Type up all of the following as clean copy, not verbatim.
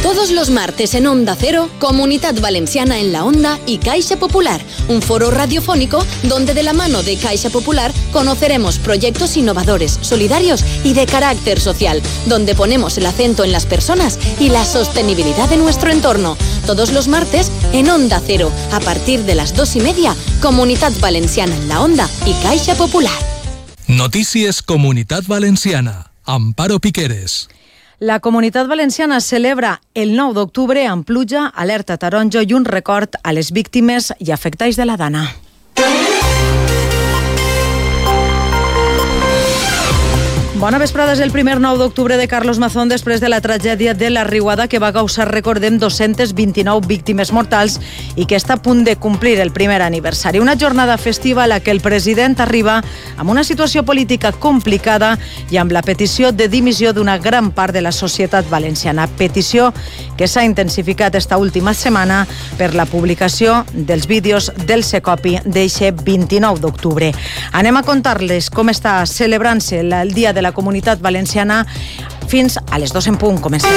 Todos los martes en Onda Cero, Comunidad Valenciana en la Onda y Caixa Popular, un foro radiofónico donde de la mano de Caixa Popular conoceremos proyectos innovadores, solidarios y de carácter social, donde ponemos el acento en las personas y la sostenibilidad de nuestro entorno. Todos los martes en Onda Cero, a partir de las 2:30, Comunidad Valenciana en la Onda y Caixa Popular. Notícies Comunitat Valenciana. Amparo Piqueres. La Comunitat Valenciana celebra el 9 d'octubre amb pluja, alerta taronja i un record a les víctimes i afectats de la Dana. Bona vesprada, és el primer 9 d'octubre de Carlos Mazón després de la tragèdia de la riuada que va causar, recordem, 229 víctimes mortals i que està a punt de complir el primer aniversari. Una jornada festiva a la que el president arriba amb una situació política complicada i amb la petició de dimissió d'una gran part de la societat valenciana. Petició que s'ha intensificat esta última setmana per la publicació dels vídeos del Secopi d'eixe 29 d'octubre. Anem a contar-les com està celebrant-se el dia de la Comunitat Valenciana fins a les 2 en punt. Comencem.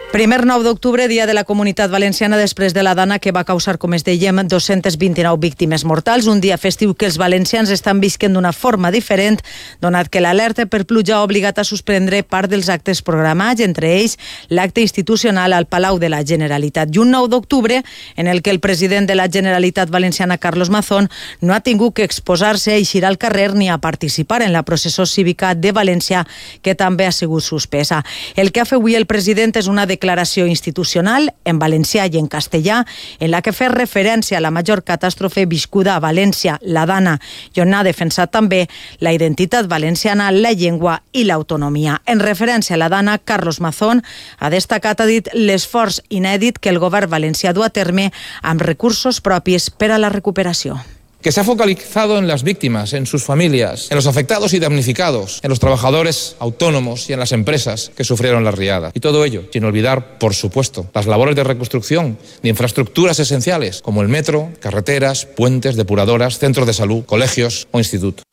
Primer 9 d'octubre, dia de la Comunitat Valenciana després de la Dana que va causar, com es dèiem, 229 víctimes mortals. Un dia festiu que els valencians estan visquent d'una forma diferent, donat que l'alerta per pluja ha obligat a suspendre part dels actes programats, entre ells l'acte institucional al Palau de la Generalitat. I un 9 d'octubre en el que el president de la Generalitat Valenciana, Carlos Mazón, no ha tingut que exposar-se a eixir al carrer ni a participar en la processó cívica de València, que també ha sigut suspesa. El que ha fet avui el president és una declaració institucional en valencià i en castellà en la que fa referència a la major catàstrofe viscuda a València, la Dana, i on ha defensat també la identitat valenciana, la llengua i l'autonomia. En referència a la Dana, Carlos Mazón ha destacat, ha dit, l'esforç inèdit que el govern valencià du a terme amb recursos propis per a la recuperació. Que se ha focalizado en las víctimas, en sus familias, en los afectados y damnificados, en los trabajadores autónomos y en las empresas que sufrieron la riada. Y todo ello sin olvidar, por supuesto, las labores de reconstrucción de infraestructuras esenciales como el metro, carreteras, puentes, depuradoras, centros de salud, colegios o institutos.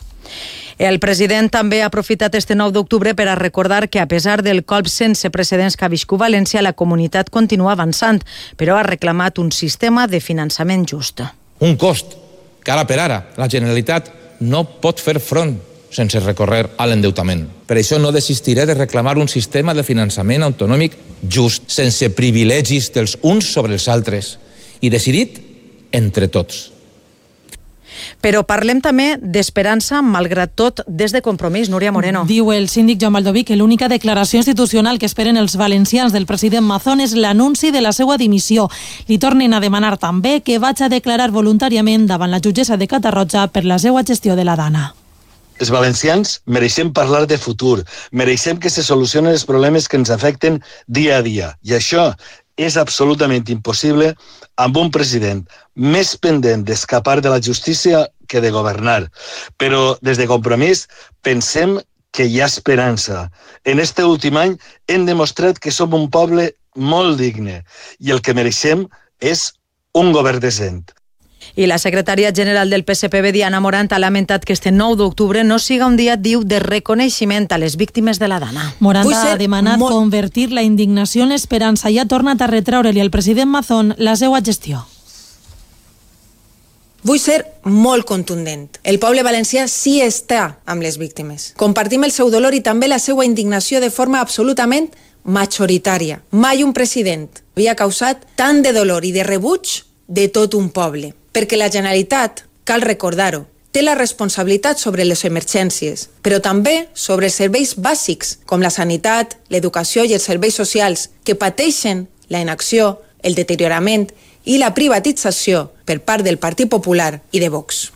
El president també ha aprofitat este 9 d'octubre per a recordar que, a pesar del colp sense precedents que ha viscut València, la comunitat continua avançant, però ha reclamat un sistema de finançament just. Un cost que ara per ara la Generalitat no pot fer front sense recorrer a l'endeutament. Per això no desistiré de reclamar un sistema de finançament autonòmic just, sense privilegis dels uns sobre els altres i decidit entre tots. Però parlem també d'esperança, malgrat tot, des de Compromís. Núria Moreno. Diu el síndic Joan Baldoví que l'única declaració institucional que esperen els valencians del president Mazón és l'anunci de la seva dimissió. Li tornen a demanar també que vagi a declarar voluntàriament davant la jutgessa de Catarroja per la seva gestió de la Dana. Els valencians mereixem parlar de futur, mereixem que se solucionen els problemes que ens afecten dia a dia. I això és absolutament impossible amb un president més pendent d'escapar de la justícia que de governar. Però des de Compromís pensem que hi ha esperança. En este últim any hem demostrat que som un poble molt digne i el que mereixem és un govern decent. I la secretària general del PSPB, Diana Morant, ha lamentat que este 9 d'octubre no siga un dia, diu, de reconeixement a les víctimes de la Dana. Morant ha demanat convertir la indignació en l'esperança i ha tornat a retraure-li al president Mazón la seva gestió. Vull ser molt contundent. El poble valencià sí està amb les víctimes. Compartim el seu dolor i també la seva indignació de forma absolutament majoritària. Mai un president havia causat tant de dolor i de rebuig de tot un poble. Perquè la Generalitat, cal recordar-ho, té la responsabilitat sobre les emergències, però també sobre els serveis bàsics, com la sanitat, l'educació i els serveis socials, que pateixen la inacció, el deteriorament i la privatització per part del Partit Popular i de Vox.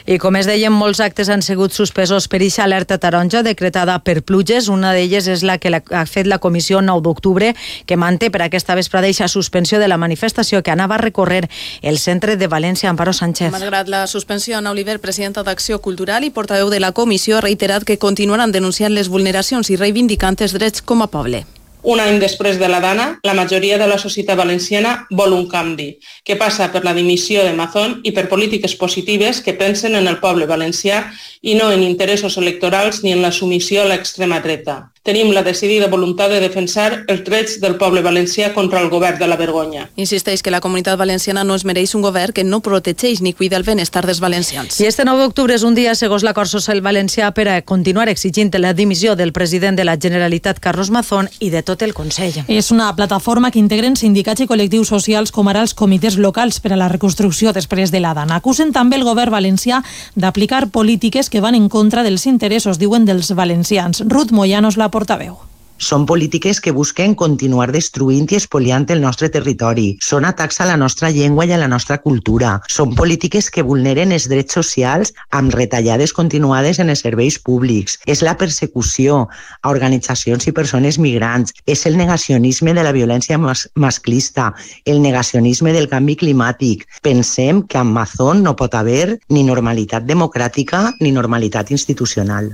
I com es deien, molts actes han sigut suspesos per eixa alerta taronja decretada per pluges. Una d'elles és la que ha fet la comissió 9 d'octubre, que manté per aquesta vesprada eixa suspensió de la manifestació que anava a recórrer el centre de València. Amparo Sánchez. Malgrat la suspensió, Ana Oliver, presidenta d'Acció Cultural i portaveu de la comissió, ha reiterat que continuaran denunciant les vulneracions i reivindicant els drets com a poble. Un any després de la Dana, la majoria de la societat valenciana vol un canvi, que passa per la dimissió de Mazón i per polítiques positives que pensen en el poble valencià i no en interessos electorals ni en la submissió a l'extrema dreta. Tenim la decidida voluntat de defensar els drets del poble valencià contra el govern de la vergonya. Insisteix que la Comunitat Valenciana no es mereix un govern que no protegeix ni cuida el benestar dels valencians. I este 9 d'octubre és un dia, segons l'acord social valencià, per a continuar exigint la dimissió del president de la Generalitat, Carlos Mazón, i de tot el Consell. És una plataforma que integren sindicats i col·lectius socials com ara els comitès locals per a la reconstrucció després de la Dana. Acusen també el govern valencià d'aplicar polítiques que van en contra dels interessos, diuen, dels valencians. Ruth Moyanos, la portaveu. Són polítiques que busquen continuar destruint i espoliant el nostre territori. Són atacs a la nostra llengua i a la nostra cultura. Són polítiques que vulneren els drets socials amb retallades continuades en els serveis públics. És la persecució a organitzacions i persones migrants. És el negacionisme de la violència masclista, el negacionisme del canvi climàtic. Pensem que amb Mazón no pot haver ni normalitat democràtica ni normalitat institucional.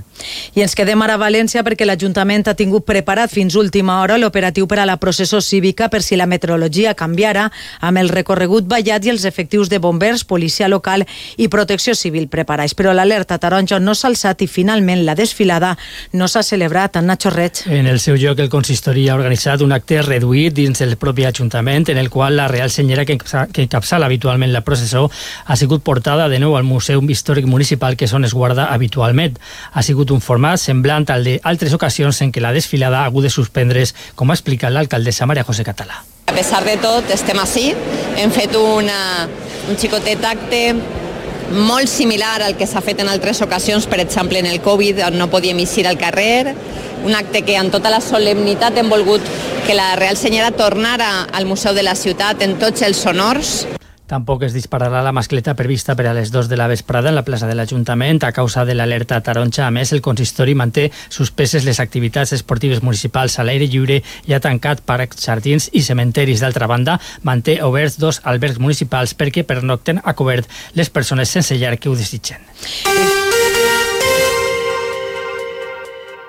I ens quedem ara a València perquè l'Ajuntament ha tingut preparat fins última hora l'operatiu per a la processó cívica per si la meteorologia canviara, amb el recorregut vallat i els efectius de bombers, policia local i protecció civil preparats. Però l'alerta taronja no s'ha alçat i finalment la desfilada no s'ha celebrat. En Nacho Reig. En el seu lloc, el consistori ha organitzat un acte reduït dins el propi Ajuntament, en el qual la Real Senyera que encapçala habitualment la processó ha sigut portada de nou al Museu Històric Municipal, que és on es guarda habitualment. Ha sigut un format semblant al d'altres ocasions en què la desfilada ha hagut de suspendre's, com ha explicat l'alcaldessa Maria José Català. A pesar de tot, estem ací. Hem fet un xicotet acte molt similar al que s'ha fet en altres ocasions, per exemple en el Covid, on no podíem eixir al carrer. Un acte que amb tota la solemnitat hem volgut que la Real Senyera tornara al Museu de la Ciutat en tots els honors. Tampoc es dispararà la mascleta prevista per a les 2 de la vesprada en la plaça de l'Ajuntament a causa de l'alerta taronja. A més, el consistori manté suspeses les activitats esportives municipals a l'aire lliure i ha tancat parcs, jardins i cementeris. D'altra banda, manté oberts 2 albergs municipals perquè pernocten a cobert les persones sense llar que ho desitgen.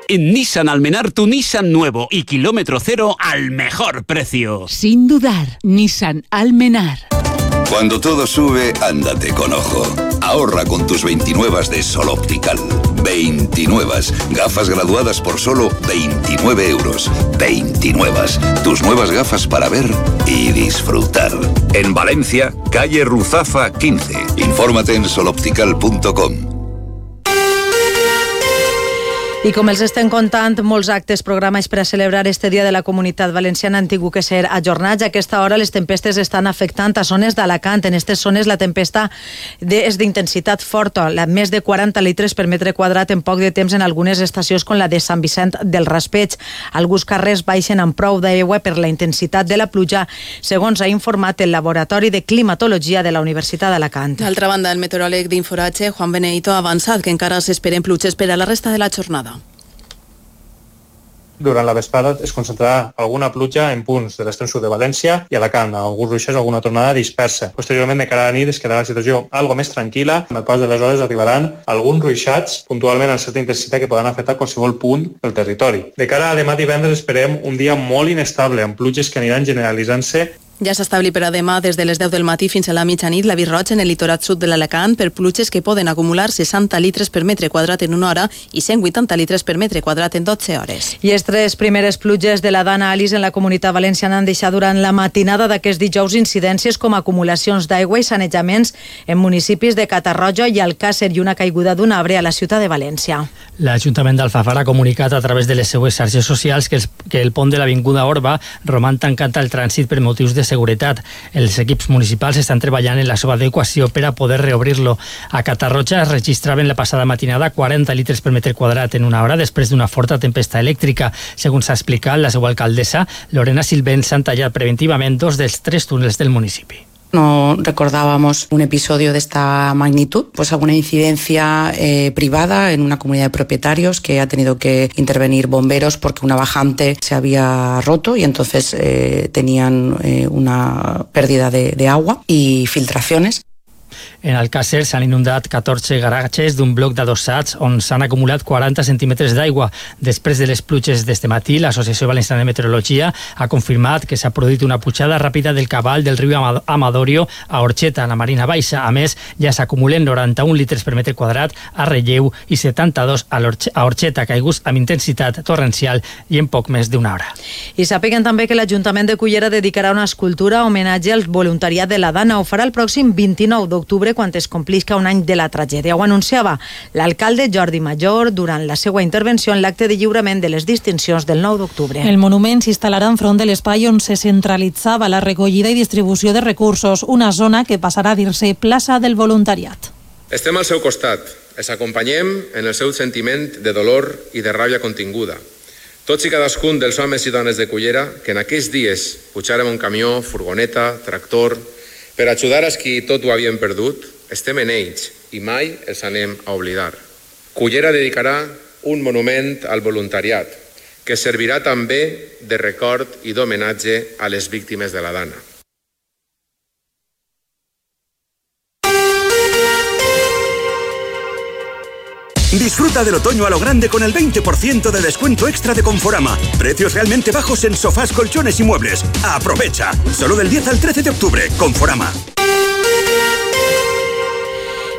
En Nissan Almenar, tu Nissan nuevo y kilómetro cero al mejor precio. Sin dudar, Nissan Almenar. Cuando todo sube, ándate con ojo. Ahorra con tus 29 de Sol Optical. 29. Gafas graduadas por solo 29 euros. 29. Tus nuevas gafas para ver y disfrutar. En Valencia, calle Ruzafa 15. Infórmate en soloptical.com. I com els estem contant, molts actes programats per a celebrar este Dia de la Comunitat Valenciana han tingut que ser ajornats. A aquesta hora les tempestes estan afectant a zones d'Alacant. En aquestes zones la tempesta és d'intensitat forta, més de 40 litres per metre quadrat en poc de temps en algunes estacions com la de Sant Vicent del Raspeig. Alguns carrers baixen amb prou d'aigua per la intensitat de la pluja, segons ha informat el Laboratori de Climatologia de la Universitat d'Alacant. D'altra banda, el meteoròleg d'Inforatge, Juan Benedito, ha avançat que encara s'esperen pluges per a la resta de la jornada. Durant la vesprada es concentrarà alguna pluja en punts de l'extrem sud de València i Alacant, alguns ruixers, alguna tornada dispersa. Posteriorment, de cara a la nit, es quedarà la situació algo més tranquil·la. Amb el pas de les hores arribaran alguns ruixats, puntualment amb certa intensitat, que poden afectar qualsevol punt del territori. De cara a demà divendres esperem un dia molt inestable, amb pluges que aniran generalitzant-se. Ja s'ha establit per a demà des de les 10 del matí fins a la mitjanit l'avís roig en el litorat sud de l'Alacant per pluges que poden acumular 60 litres per metre quadrat en una hora i 180 litres per metre quadrat en 12 hores. I les 3 primeres pluges de la Dana Alice en la Comunitat Valenciana han deixat durant la matinada d'aquest dijous incidències com acumulacions d'aigua i sanejaments en municipis de Catarroja i Alcàsser i una caiguda d'un arbre a la ciutat de València. L'Ajuntament d'Alfafar ha comunicat a través de les seues xarxes socials que el pont de l'Avinguda Orba roman tancat al trànsit per motius de seguretat. Els equips municipals estan treballant en la seva adequació per a poder reobrir-lo. A Catarroja es registraven la passada matinada 40 litres per metre quadrat en una hora després d'una forta tempesta elèctrica. Segons s'ha explicat la seva alcaldessa, Lorena Silvent, s'han tallat preventivament 2 dels 3 túnels del municipi. No recordábamos un episodio de esta magnitud, pues alguna incidencia privada en una comunidad de propietarios que ha tenido que intervenir bomberos porque una bajante se había roto y entonces tenían una pérdida de agua y filtraciones. En Alcàsser s'han inundat 14 garatges d'un bloc d'adossats on s'han acumulat 40 centímetres d'aigua. Després de les pluges d'este matí, l'Associació Valenciana de Meteorologia ha confirmat que s'ha produït una pujada ràpida del cabal del riu Amadorio a Orxeta, a la Marina Baixa. A més, ja s'acumulen 91 litres per metre quadrat a Relleu i 72 a Orxeta, caiguts amb intensitat torrencial i en poc més d'una hora. I sàpiguen també que l'Ajuntament de Cullera dedicarà una escultura a homenatge al voluntariat de la Dana. Ho farà el pròxim 29 d'octubre, quan es complisca un any de la tragèdia. Ho anunciava l'alcalde Jordi Major durant la seva intervenció en l'acte de lliurament de les distincions del 9 d'octubre. El monument s'instal·larà enfront de l'espai on se centralitzava la recollida i distribució de recursos, una zona que passarà a dir-se plaça del voluntariat. Estem al seu costat, els acompanyem en el seu sentiment de dolor i de ràbia continguda. Tots i cadascun dels homes i dones de Cullera que en aquells dies pujàrem un camió, furgoneta, tractor, per ajudar als qui tot ho havien perdut, estem en ells i mai els anem a oblidar. Cullera dedicarà un monument al voluntariat, que servirà també de record i d'homenatge a les víctimes de la Dana. Disfruta del otoño a lo grande con el 20% de descuento extra de Conforama. Precios realmente bajos en sofás, colchones y muebles. ¡Aprovecha! Solo del 10 al 13 de octubre. Conforama.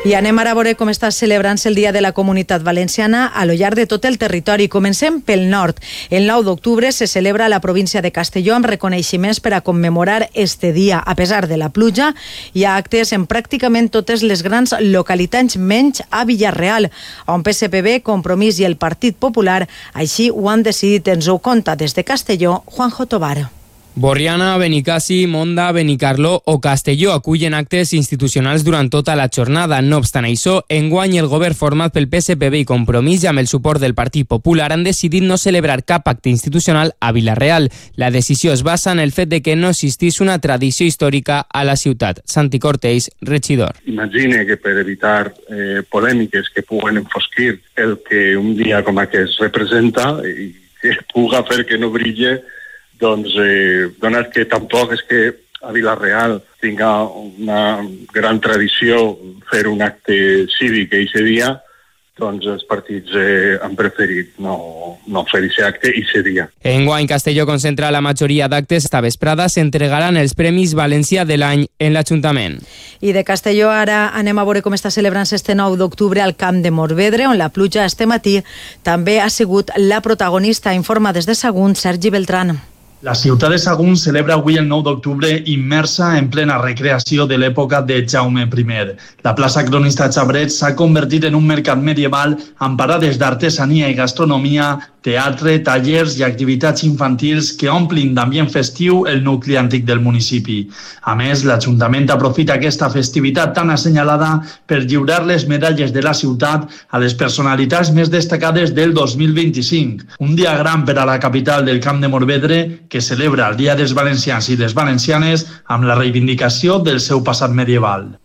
I anem ara a veure com està celebrant-se el Dia de la Comunitat Valenciana a lo llarg de tot el territori. Comencem pel nord. El 9 d'octubre se celebra a la província de Castelló amb reconeixements per a commemorar este dia. A pesar de la pluja, hi ha actes en pràcticament totes les grans localitats, menys a Villarreal, on PSPB, Compromís i el Partit Popular així ho han decidit. Ens ho conta des de Castelló, Juanjo Tobar. Borriana, Benicassi, Monda, Benicarló o Castelló acullen actes institucionals durant tota la jornada. No obstant això, enguany el govern format pel PSPB i Compromís amb el suport del Partit Popular han decidit no celebrar cap acte institucional a Vila-real. La decisió es basa en el fet de que no existís una tradició històrica a la ciutat. Santi Cortells, regidor. Imagine que per evitar polèmiques que puguen enfosquir el que un dia com aquest representa i que puga fer que no brille, doncs, donat que tampoc és que a Vila-real tinga una gran tradició fer un acte cívic aquest dia, doncs els partits han preferit no fer aquest acte i aquest dia. Enguany, Castelló concentra la majoria d'actes. Esta vesprada s'entregaran els Premis València de l'any en l'Ajuntament. I de Castelló ara anem a veure com està celebrant-se este 9 d'octubre al Camp de Morvedre, on la pluja este matí també ha sigut la protagonista. Informa des de Sagunt, Sergi Beltrán. La ciutat de Sagunt celebra avui el 9 d'octubre immersa en plena recreació de l'època de Jaume I. La plaça Cronista Xabret s'ha convertit en un mercat medieval amb parades d'artesania i gastronomia, teatre, tallers i activitats infantils que omplin d'ambient festiu el nucli antic del municipi. A més, l'Ajuntament aprofita aquesta festivitat tan assenyalada per lliurar les medalles de la ciutat a les personalitats més destacades del 2025. Un dia gran per a la capital del Camp de Morvedre, que celebra el Dia dels Valencians i les Valencianes amb la reivindicació del seu passat medieval.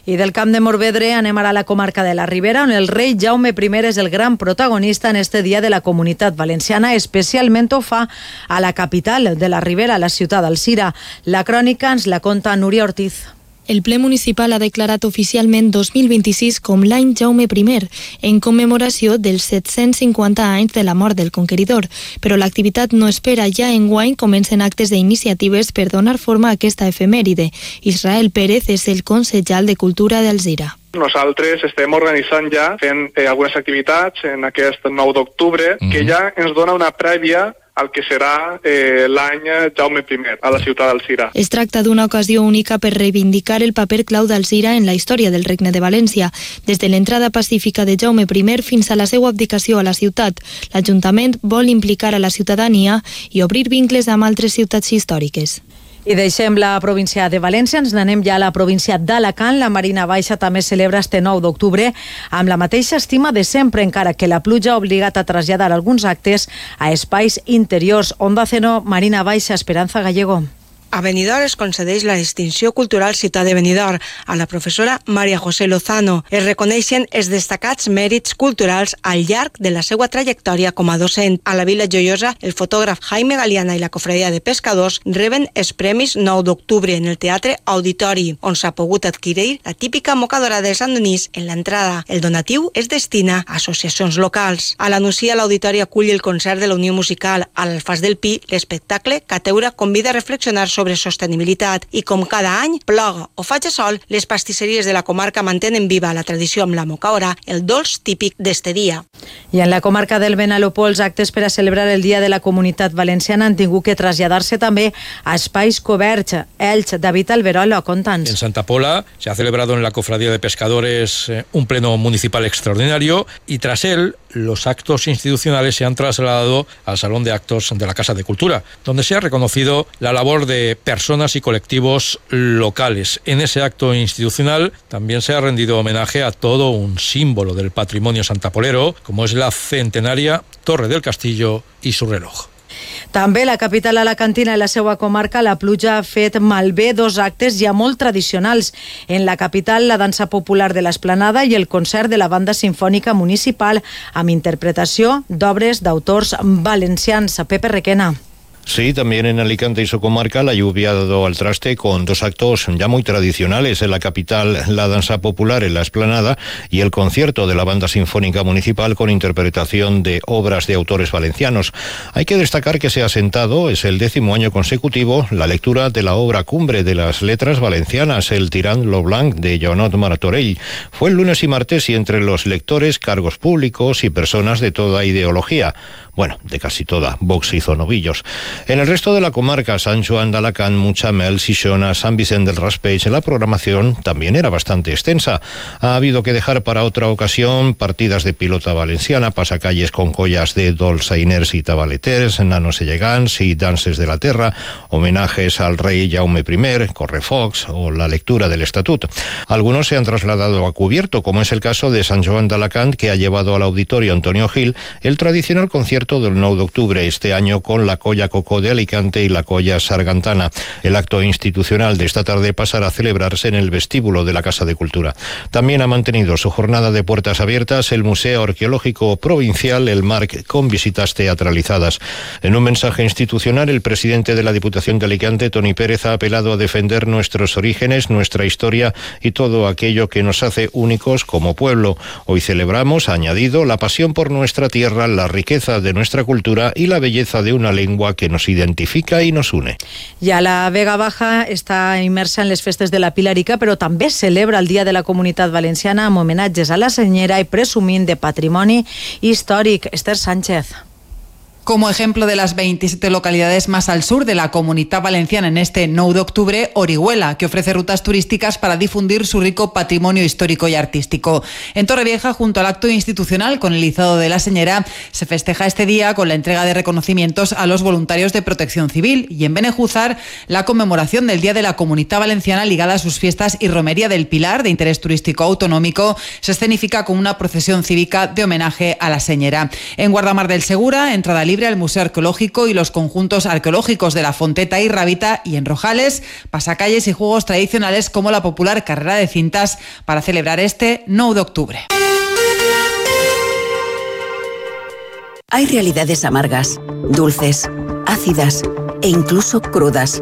I del Camp de Morvedre anem ara a la comarca de la Ribera, on el rei Jaume I és el gran protagonista en este Dia de la Comunitat Valenciana. Especialment ho fa a la capital de la Ribera, la ciutat d'Alzira. La crònica ens la conta Núria Ortiz. El ple municipal ha declarat oficialment 2026 com l'any Jaume I, en commemoració dels 750 anys de la mort del conqueridor. Però l'activitat no espera. Ja enguany comencen actes d'iniciatives per donar forma a aquesta efemèride. Israel Pérez és el consellal de Cultura d'Alzira. Nosaltres estem organitzant ja, fent algunes activitats en aquest 9 d'octubre, que ja ens dona una prèvia al que serà l'any Jaume I a la ciutat d'Alzira. Es tracta d'una ocasió única per reivindicar el paper clau d'Alzira en la història del Regne de València, des de l'entrada pacífica de Jaume I fins a la seva abdicació a la ciutat. L'Ajuntament vol implicar a la ciutadania i obrir vincles amb altres ciutats històriques. I deixem la província de València, ens n'anem ja a la província d'Alacant. La Marina Baixa també celebra este 9 d'octubre amb la mateixa estima de sempre, encara que la pluja ha obligat a traslladar alguns actes a espais interiors. Onda Cero, Marina Baixa, Esperanza Gallego. A Benidorm es concedeix la distinció cultural Ciutat de Benidorm a la professora Maria José Lozano. Es reconeixen els destacats mèrits culturals al llarg de la seva trajectòria com a docent. A la Vila Joiosa, el fotògraf Jaime Galiana i la Cofradia de Pescadors reben els Premis 9 d'octubre en el Teatre Auditori, on s'ha pogut adquirir la típica mocadora de Sant Donís en l'entrada. El donatiu es destina a associacions locals. A la Nucia, l'Auditori acull el concert de la Unió Musical. A l'Alfàs del Pi, l'espectacle Cateura convida a reflexionar sobre sostenibilitat i com cada any, ploga o faci sol, les pastisseries de la comarca mantenen viva la tradició amb la mocaora, el dolç típic d'este dia. I en la comarca del Benalopó, els actes per a celebrar el Dia de la Comunitat Valenciana han tingut que traslladar-se també a espais coberts. Elx, David Alberola, conta'ns. En Santa Pola se ha celebrado en la Cofradía de Pescadores un pleno municipal extraordinario y tras él los actos institucionales se han trasladado al Salón de Actos de la Casa de Cultura, donde se ha reconocido la labor de personas y colectivos locales. En ese acto institucional también se ha rendido homenaje a todo un símbolo del patrimonio santapolero, como es la centenaria Torre del Castillo y su reloj. També la capital alacantina i la seva comarca, la pluja ha fet malbé dos actes ja molt tradicionals. En la capital, la dansa popular de l'Esplanada i el concert de la Banda Simfònica Municipal amb interpretació d'obres d'autors valencians. Pepe Requena. Sí, también en Alicante y su comarca la lluvia ha dado al traste con dos actos ya muy tradicionales. En la capital, la danza popular en la Esplanada y el concierto de la Banda Sinfónica Municipal con interpretación de obras de autores valencianos. Hay que destacar que se ha sentado, es el 10º año consecutivo, la lectura de la obra cumbre de las letras valencianas, el Tirant lo Blanc de Joanot Martorell. Fue el lunes y martes y entre los lectores, cargos públicos y personas de toda ideología. Bueno, de casi toda, Vox hizo novillos. En el resto de la comarca, Sant Joan d'Alacant, Mutxamel, Xixona, San Vicente del Raspeig, la programación también era bastante extensa. Ha habido que dejar para otra ocasión partidas de pilota valenciana, pasacalles con collas de dolçainers y tabaleters, nanos llegants y danses de la terra, homenajes al rey Jaume I, correfocs o la lectura del estatut. Algunos se han trasladado a cubierto, como es el caso de Sant Joan d'Alacant, que ha llevado al auditorio Antonio Gil el tradicional concierto del 9 de octubre, este año con la Colla Cocó de Alicante y la Colla Sargantana. El acto institucional de esta tarde pasará a celebrarse en el vestíbulo de la Casa de Cultura. También ha mantenido su jornada de puertas abiertas el Museo Arqueológico Provincial, el MARC, con visitas teatralizadas. En un mensaje institucional, el presidente de la Diputación de Alicante, Toni Pérez, ha apelado a defender nuestros orígenes, nuestra historia y todo aquello que nos hace únicos como pueblo. Hoy celebramos, ha añadido, la pasión por nuestra tierra, la riqueza de nuestra cultura y la belleza de una lengua que nos identifica y nos une. Ja la Vega Baja està immersa en les festes de la Pilarica, però també celebra el Dia de la Comunitat Valenciana amb homenatges a la senyera i presumint de patrimoni històric. Esther Sánchez. Como ejemplo de las 27 localidades más al sur de la Comunidad Valenciana en este 9 de octubre, Orihuela, que ofrece rutas turísticas para difundir su rico patrimonio histórico y artístico. En Torrevieja, junto al acto institucional con el izado de la señera, se festeja este día con la entrega de reconocimientos a los voluntarios de Protección Civil y en Benejúzar, la conmemoración del Día de la Comunidad Valenciana ligada a sus fiestas y romería del Pilar, de interés turístico autonómico, se escenifica con una procesión cívica de homenaje a la señera. En Guardamar del Segura, entrada libre al Museo Arqueológico y los conjuntos arqueológicos de la Fonteta y Rábita, y en Rojales, pasacalles y juegos tradicionales como la popular carrera de cintas para celebrar este 9 de octubre. Hay realidades amargas, dulces, ácidas e incluso crudas.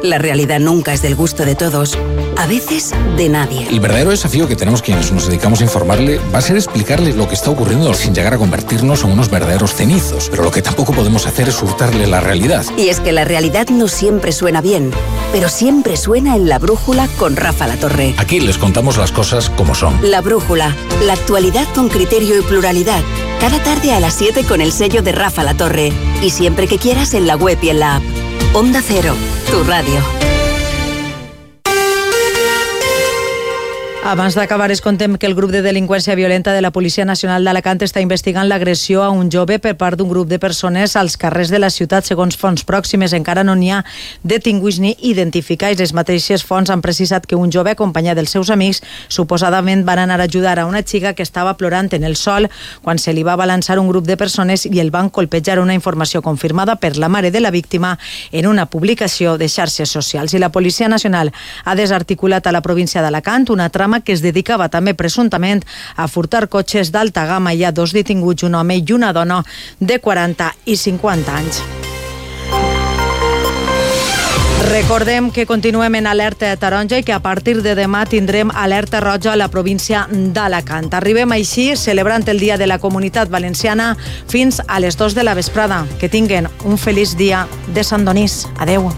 La realidad nunca es del gusto de todos, a veces de nadie. El verdadero desafío que tenemos quienes nos dedicamos a informarle va a ser explicarle lo que está ocurriendo sin llegar a convertirnos en unos verdaderos cenizos. Pero lo que tampoco podemos hacer es hurtarle la realidad. Y es que la realidad no siempre suena bien, pero siempre suena en La Brújula con Rafa Latorre. Aquí les contamos las cosas como son. La Brújula, la actualidad con criterio y pluralidad. Cada tarde a las 7 con el sello de Rafa Latorre. Y siempre que quieras en la web y en la app. Onda Cero, tu radio. Abans d'acabar, es contem que el grup de delinqüència violenta de la Policia Nacional d'Alacant està investigant l'agressió a un jove per part d'un grup de persones als carrers de la ciutat. Segons fonts pròximes, encara no n'hi ha detinguts ni identificats. Les mateixes fonts han precisat que un jove acompanyat dels seus amics suposadament van anar a ajudar a una xica que estava plorant en el sol quan se li va balançar un grup de persones i el van colpejar, una informació confirmada per la mare de la víctima en una publicació de xarxes socials. I la Policia Nacional ha desarticulat a la província d'Alacant una trama que es dedicava també presumptament a furtar cotxes d'alta gamma. Hi ha 2 detinguts, un home i una dona de 40 i 50 anys. Recordem que continuem en alerta taronja i que a partir de demà tindrem alerta roja a la província d'Alacant. Arribem així celebrant el Dia de la Comunitat Valenciana fins a les 2 de la vesprada. Que tinguen un feliç dia de Sant Donís. Adeu.